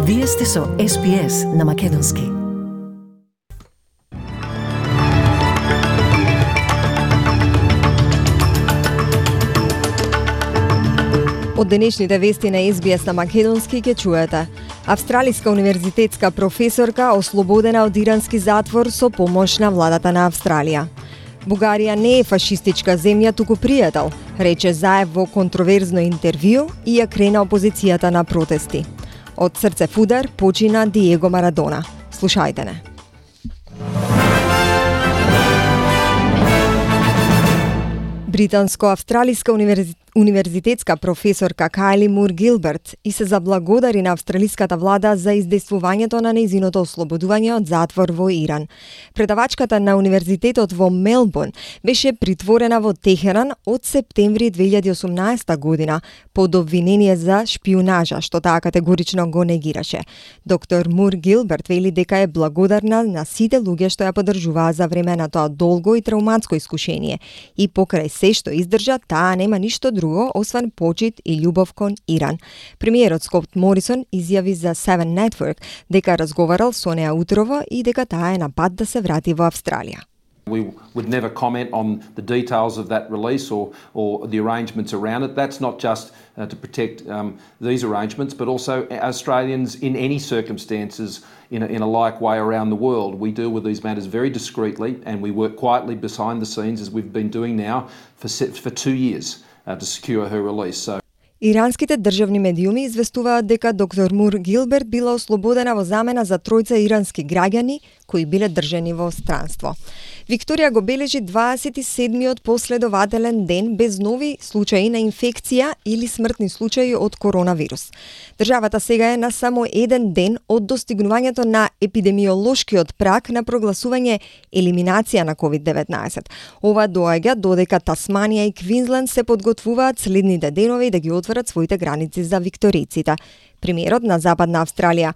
Вие сте со SPS на Македонски. Од денешните вести на SBS на Македонски ќе чуете. Австралиска универзитетска професорка ослободена од ирански затвор со помош на владата на Австралија. Бугарија не е фашистичка земја, туку пријател, рече Заев во контроверзно интервју и ја крена опозицијата на протести. Од срцев удар почина Диего Марадона. Слушајте не. Британско-австралиска универзитетска професорка Кайли Мур Гилберт и се заблагодари на австралиската влада за издействувањето на нејзиното ослободување од затвор во Иран. Предавачката на универзитетот во Мелбурн беше притворена во Техеран од септември 2018 година под обвинение за шпионажа, што таа категорично го негираше. Доктор Мур Гилберт вели дека е благодарна на сите луѓе што ја поддржуваа за време на тоа долго и травматско искушение и покрај се што издржа, таа нема ништо друго освен почит и љубов кон Иран. Премиерот Скот Морисон изјави за Seven Network дека разговарал со неа утрово и дека таа е на пат да се врати во Австралија. We would never comment on the details of that release or the arrangements around it. That's not just to protect these arrangements, but also Australians in any circumstances in a like way around the world. We deal with these matters very discreetly and we work quietly behind the scenes as we've been doing now for 2 years to secure her release. So Иранските државни медиуми известуваат дека доктор Мур Гилберт била ослободена во замена за тројца ирански граѓани кои биле држани во странство. Викторија го бележи 27-миот последователен ден без нови случаи на инфекција или смртни случаи од коронавирус. Државата сега е на само еден ден од достигнувањето на епидемиолошкиот праг на прогласување елиминација на COVID-19. Ова доаѓа додека Тасманија и Квинсленд се подготвуваат следните денови да ги отворат своите граници за викториците. Премиерот на Западна Австралија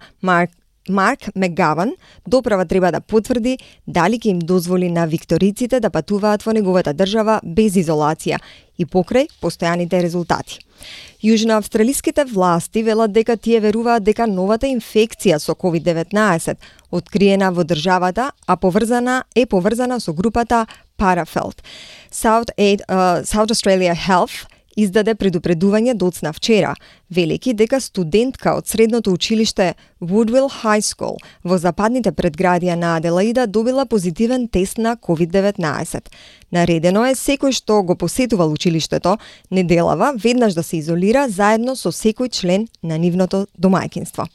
Марк Мегаван доправа треба да потврди дали ќе им дозволи на викториците да патуваат во неговата држава без изолација и покрај постојаните резултати. Јужноавстралиските власти велат дека тие веруваат дека новата инфекција со COVID-19 откриена во државата, а поврзана со групата Paraphelt. South Australia Health издаде предупредување доцна вчера, велики дека студентка од средното училиште Woodville High School во западните предградија на Аделаида добила позитивен тест на COVID-19. Наредено е секој што го посетувал училиштето неделава веднаш да се изолира заедно со секој член на нивното домаќинство.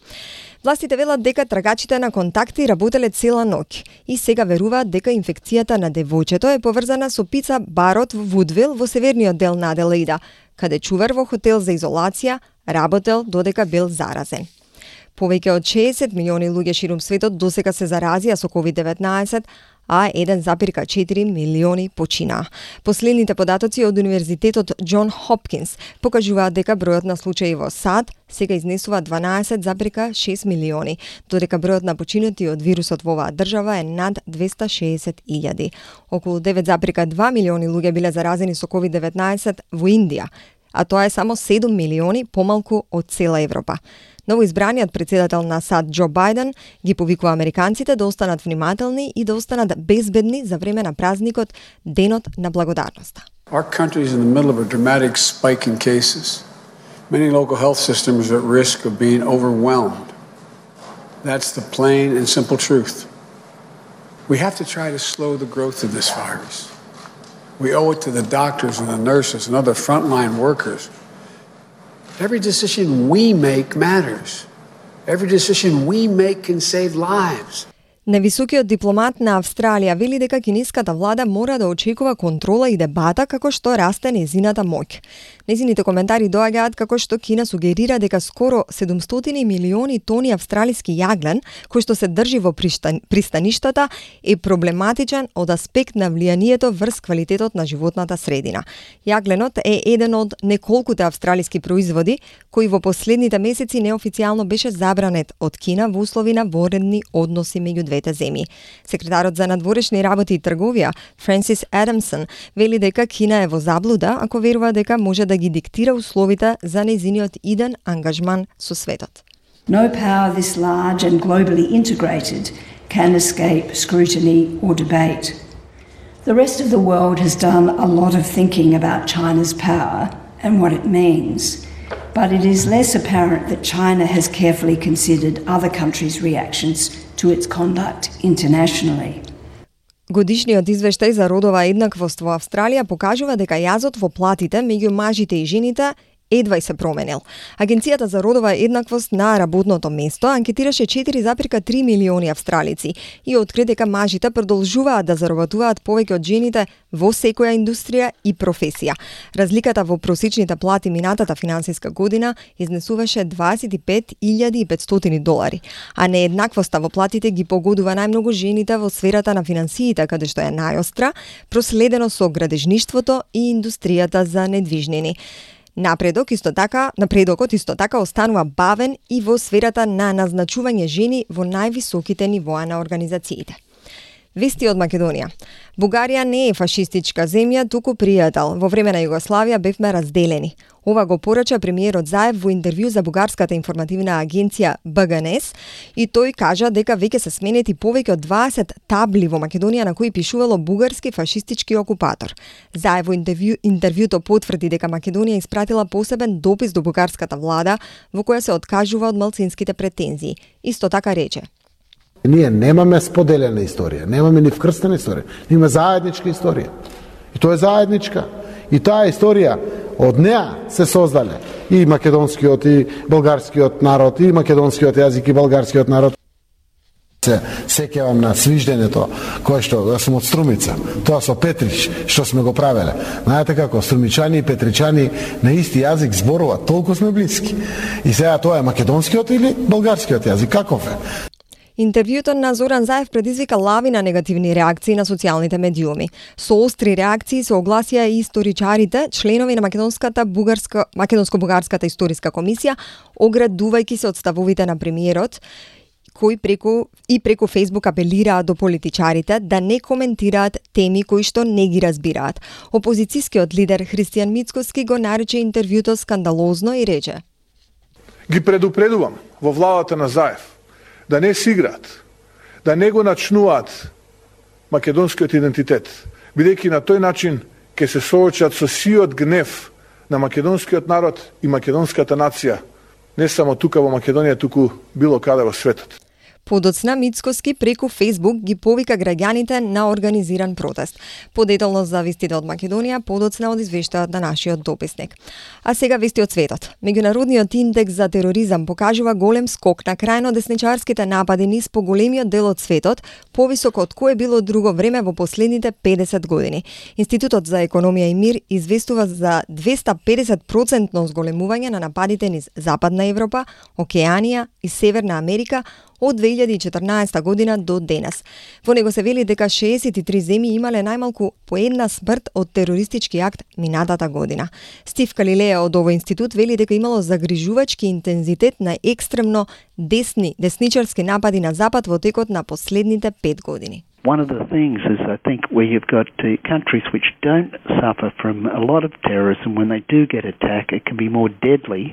Властите велат дека трагачите на контакти работеле цела ноќ и сега веруваат дека инфекцијата на девојчето е поврзана со пица барот во Вудвил во северниот дел на Аделаида, каде чувар во хотел за изолација работел додека бил заразен. Повеќе од 60 милиони луѓе ширум светот досега се заразија со COVID-19, а 1,4 милиони починаа. Последните податоци од Универзитетот Џон Хопкинс покажуваат дека бројот на случаи во САД сега изнесува 12,6 милиони, додека бројот на починати од вирусот во оваа држава е над 260.000. Околу 9,2 милиони луѓе биле заразени со COVID-19 во Индија, а тоа е само 7 милиони помалку од цела Европа. Новоизбраниот председател на САД Џо Бајден ги повикува американците да останат внимателни и да останат безбедни за време на празникот Денот на благодарноста. Our country is in the middle of a dramatic spike in cases. Many local health systems are at risk of being overwhelmed. That's the plain and simple truth. We have to try to slow the growth of this virus. We owe it to the doctors and the nurses and other frontline workers. Every decision we make matters. Every decision we make can save lives. Невисокиот дипломат на Австралија вели дека кинеската влада мора да очекува контрола и дебата како што расте нејзината моќ. Нејзините коментари доаѓаат како што Кина сугерира дека скоро 700 милиони тони австралиски јаглен, кој што се држи во пристаништата, е проблематичен од аспект на влијанието врз квалитетот на животната средина. Јагленот е еден од неколкуте австралиски производи кој во последните месеци неофицијално беше забранет од Кина во услови на воредни односи меѓу двете земји. Секретарот за надворешни работи и трговија Франсис Адамсон вели дека Кина е во заблуда ако верува дека може да ги диктира условите за нејзиниот иден ангажман со светот. No power this large and globally integrated can escape scrutiny or debate. The rest of the world has done a lot of thinking about China's power and what it means, but it is less apparent that China has carefully considered other countries' reactions to its conduct internationally. Годишниот извештај за родова еднаквост во Австралија покажува дека јазот во платите меѓу мажите и жените едва и се променил. Агенцијата за родова еднаквост на работното место анкетираше 4,3 милиони австралици и откри дека мажите продолжуваат да заработуваат повеќе од жените во секоја индустрија и професија. Разликата во просечните плати минатата финансиска година изнесуваше $25,500, а нееднаквоста во платите ги погодува најмногу жените во сферата на финансиите, каде што е најостра, проследено со градежништвото и индустријата за недвижнини. Напредокот исто така останува бавен и во сферата на назначување жени во највисоките нивоа на организациите. Вести од Македонија. Бугарија не е фашистичка земја, туку пријател. Во време на Југославија бевме разделени. Ова го порача премиерот Заев во интервју за бугарската информативна агенција БГНС и тој кажа дека веќе се сменети повеќе од 20 табли во Македонија на кои пишувало бугарски фашистички окупатор. Заев во интервјуто потврди дека Македонија испратила посебен допис до бугарската влада во која се откажува од малцинските претензии. Исто така рече: Ние немаме споделена историја, немаме ни вкрстена историја, имаме заедничка историја. И тоа е заедничка. И таа историја од неа се создале и македонскиот и болгарскиот народ, и македонскиот јазик и болгарскиот народ. Се сеќавам на свиждењето кое што сум од Струмица, тоа со Петрич што сме го правеле. Знаете како струмичани и петричани на исти јазик зборуваат, толку сме блиски. И сега тоа е македонскиот или болгарскиот јазик, каков е? Интервјуто на Зоран Заев предизвика лавина негативни реакции на социјалните медиуми. Со остри реакции се огласија и историчарите, членови на Македонско-бугарската историска комисија, оградувајќи се од ставовите на премиерот, кои преку Фејсбук апелираат до политичарите да не коментираат теми кои што не ги разбираат. Опозицијскиот лидер Христијан Мицкоски го нарече интервјуто скандалозно и рече: Ги предупредувам во владата на Заев да не си играат, да не го начнуваат македонскиот идентитет, бидејќи на тој начин ќе се соочат со сиот гнев на македонскиот народ и македонската нација, не само тука во Македонија, туку било каде во светот. Подоцна Мицкоски преку Фејсбук ги повика граѓаните на организиран протест. Подетално за вестите од Македонија, подоцна од извештајот на нашиот дописник. А сега вести од светот. Меѓународниот индекс за тероризам покажува голем скок на крајно десничарските напади низ поголемиот дел од светот, повисоко од кое било друго време во последните 50 години. Институтот за економија и мир известува за 250% зголемување на нападите низ Западна Европа, Океанија и Северна Америка од 2014 година до денес. Во него се вели дека 63 земји имале најмалку по една смрт од терористички акт минатата година. Стив Калилеја од овој институт вели дека имало загрижувачки интензитет на екстремно десничарски напади на Запад во текот на последните 5 години. One of the things is, I think, where you've got countries which don't suffer from a lot of terrorism, when they do get attacked, it can be more deadly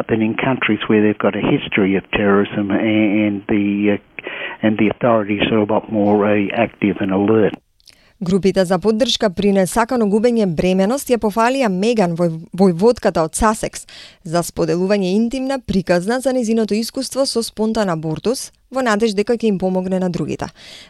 than in countries where they've got a history of terrorism and the authorities are a lot more active and alert. Групите за поддршка при несакано губење бременост ја пофалија Меган, војводката од Сасекс, за споделување интимна приказна за незиното искуство со спонтан абортус, во надеж дека ќе им помогне на другите.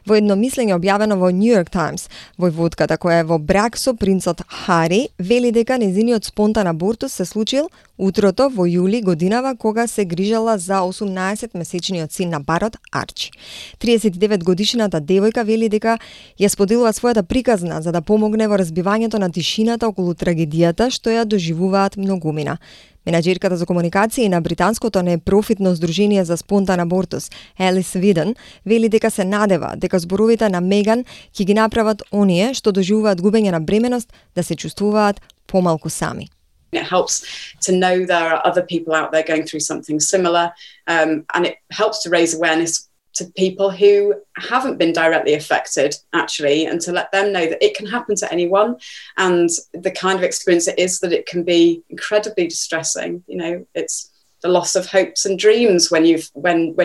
Во едно мислење објавено во New York Times, војводката која е во брак со принцот Хари вели дека незиниот спонтан абортус се случил утрото во јули годинава кога се грижала за 18-месечниот син на парот Арчи. 39 годишната девојка вели дека ја споделува својата приказна за да помогне во разбивањето на тишината околу трагедијата што ја доживуваат многумина. Менаџерката за комуникации на британското непрофитно здружение за спонтан абортус, Елис Виден, вели дека се надева дека зборовите на Меган ќе ги направат оние што доживуваат губење на бременост да се чувствуваат помалку сами. It helps to know there are other people out there going through something similar, and it helps to raise awareness to people who haven't been directly affected, actually, and to let them know that it can happen to anyone, and the kind of experience it is that it can be incredibly distressing. You know, it's the loss of hopes and dreams when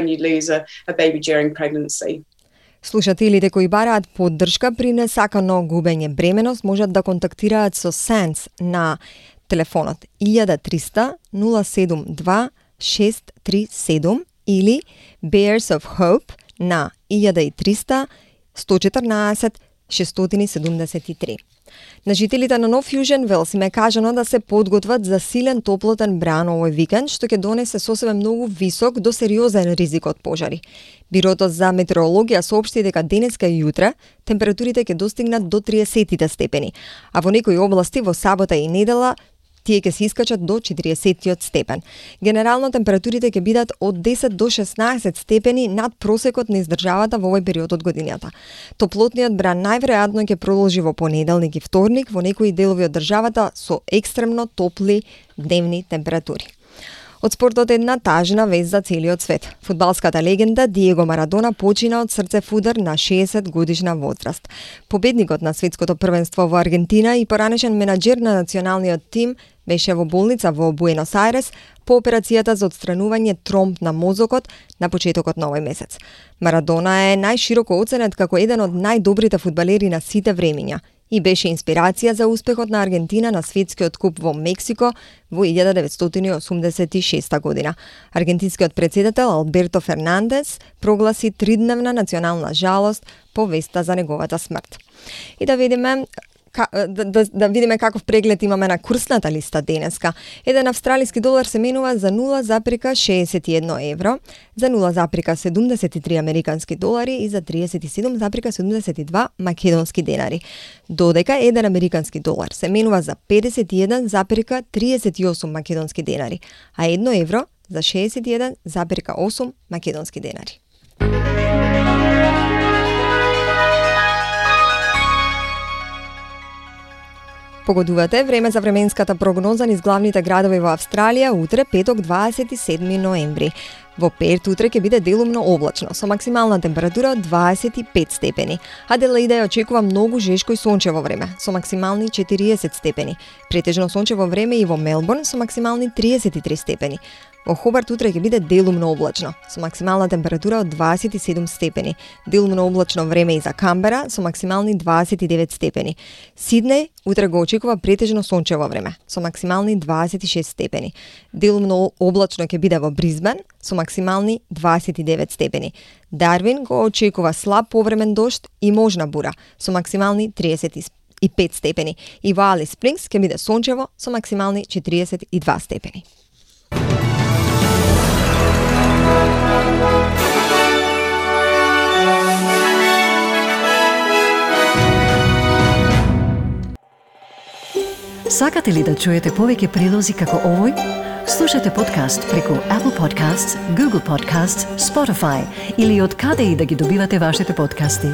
you lose a baby during pregnancy. Слушателите кои бараат поддршка при несакано губење бременост можат да контактираат со SANS на телефонот 1300 072 637 или Bears of Hope на 1300 114 673. На жителите на Нов Јужен Велс им е кажано да се подготват за силен топлотен бран овој викенд, што ќе донесе со себе многу висок до сериозен ризик од пожари. Бирото за метеорологија соопшти дека денеска и јутре температурите ќе достигнат до 30 степени, а во некои области во сабота и недела тие ќе се искачат до 40 степен. Генерално температурите ќе бидат од 10 до 16 степени над просекот на издржавата во овој период од годината. Топлотниот бран најверојатно ќе продолжи во понеделник и вторник во некои делови од државата со екстремно топли дневни температури. Од спортот една тажна вест за целиот свет. Фудбалската легенда Диего Марадона почина од срцев удар на 60 годишна возраст. Победникот на светското првенство во Аргентина и поранешен менаџер на националниот тим беше во болница во Буенос Ајрес по операцијата за отстранување тромб на мозокот на почетокот на овој месец. Марадона е најшироко оценет како еден од најдобрите фудбалери на сите времиња и беше инспирација за успехот на Аргентина на светскиот куп во Мексико во 1986 година. Аргентинскиот председател Алберто Фернандес прогласи 3-дневна национална жалост по веста за неговата смрт. И да видиме каков преглед имаме на курсната листа денеска. Еден австралиски долар се менува за 0,61 евро, за 0,73 американски долари и за 37,72 македонски денари. Додека еден американски долар се менува за 51,38 македонски денари, а 1 евро за 61,8 македонски денари. Погодувате време за временската прогноза низ главните градови во Австралија утре, петок 27 ноември. Во Перт утре ќе биде делумно облачно, со максимална температура од 25 степени. Аделаида ја очекува многу жешко и сончево време, со максимални 40 степени. Претежно сончево време и во Мелбурн со максимални 33 степени. Во Хобарт утре ќе биде делумно облачно, со максимална температура од 27 степени. Делумно облачно време и за Камбера со максимални 29 степени. Сиднеј утре го очекува претежно сончево време, со максимални 26 степени. Делумно облачно ќе биде во Бризбен со максимални 29 степени. Дарвин го очекува слаб повремен дожд и можна бура со максимални 35 степени. И во Алис Спрингс ќе биде сончево со максимални 42 степени. Сакате ли да чуете повеќе прилози како овој? Слушате подкаст преку Apple Podcasts, Google Podcasts, Spotify или од каде и да ги добивате вашите подкасти.